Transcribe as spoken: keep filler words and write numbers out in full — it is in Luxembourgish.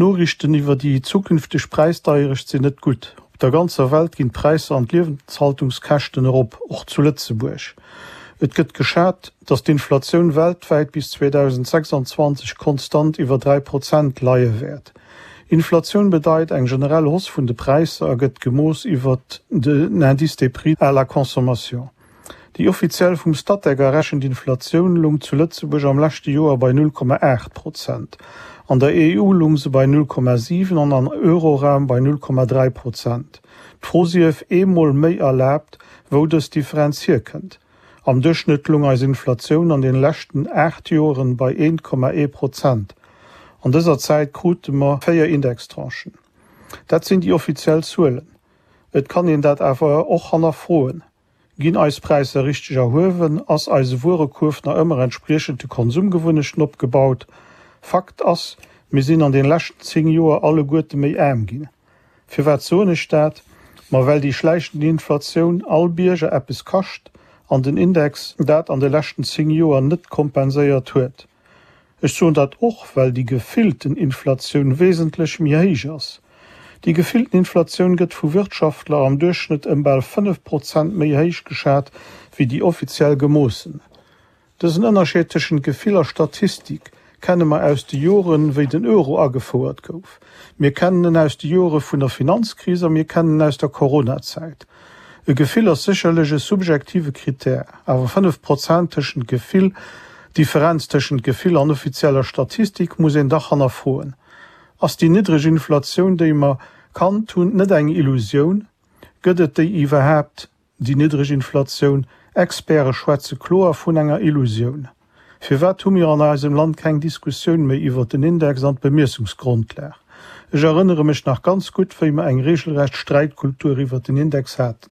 D'Noriichten iwwer déi zukünfteg Präisdeierecht sinn net gutt. Op der ganzer Welt ginn d'Präisser an d'Liewenshaltungskäschten erop, och zu Lëtzebuerg. Et gëtt geschat, datt d'Inflatioun weltwäit bis zweedausendsechsanzwanzeg konstant iwwer dräi Prozent leie wäert. Inflatioun bedeit eng generell Hausse vun de Präisser a gëtt gemooss iwwer den Indice des prix à la consommation. Déi offiziell vum Statec errechent Inflatioun lung zu Lëtzebuerg am leschte Joer bei null Komma aacht Prozent. An der E U lung se bei null Komma siwen an am Euroraum bei null Komma dräi Prozent. D'Fro sief eemol méi erlaabt, wou dës Differenz hierkënnt. Am Duerchschnëtt lung eis Inflatioun an den leschten aacht Joren bei eent Komma ee Prozent. An dëser Zäit krute mer véier Indextranchen. Dat sinn déi offiziell Zuelen. Et kann een dat awer och hannerfroen. Ginn eis Präisser richteg erhuewen? Ass eise Wuerekuerf nach ëmmer entspriechend de Konsumgewunnechten opgebaut? Fakt ass, mir sinn an den leschten zéng Joer alleguerte méi aarm ginn. Firwat soen ech dat? Ma well déi schläichend Inflatioun all Bierger eppes kascht an den Index dat an de leschten zéng Joer net kompenséiert huet. Ech soen dat och, well déi gefillten Inflatioun wesentlech méi héich ass. Déi gefillten Inflatioun gëtt vu Wirtschaftler am Duerchschnëtt ëm bal fënnef Prozent méi héich geschat wéi déi offiziell gemoossen. Dësen Ënnerscheed tëschent Gefill a Statistik kenne mer aus de Joren, wéi den Euro agefouert gouf. Mir kennen en aus de Jore vun der Finanzkris a mir kennen en aus der Coronazäit. E Gefill ass sécherlech e subjektive Krittär, awer fënnef Prozent tëschent Gefill, Differenz tëschent Gefill an offizieller Statistik muss een dach hannerfroen. Ass déi niddreg Inflatioun, déi mer kannt hunn, net eng Illusioun? Gëtt et déi iwwerhaapt, déi niddreg Inflatioun? Experte schwätze kloer vun enger Illusioun. Firwat hu mir an eisem Land keng Diskussioun méi iwwert den Index an d'Bemiessungsgrondlag? Ech erënnere mech nach ganz gutt, wéi mer eng regelrecht Sträitkultur iwwert den Index haten.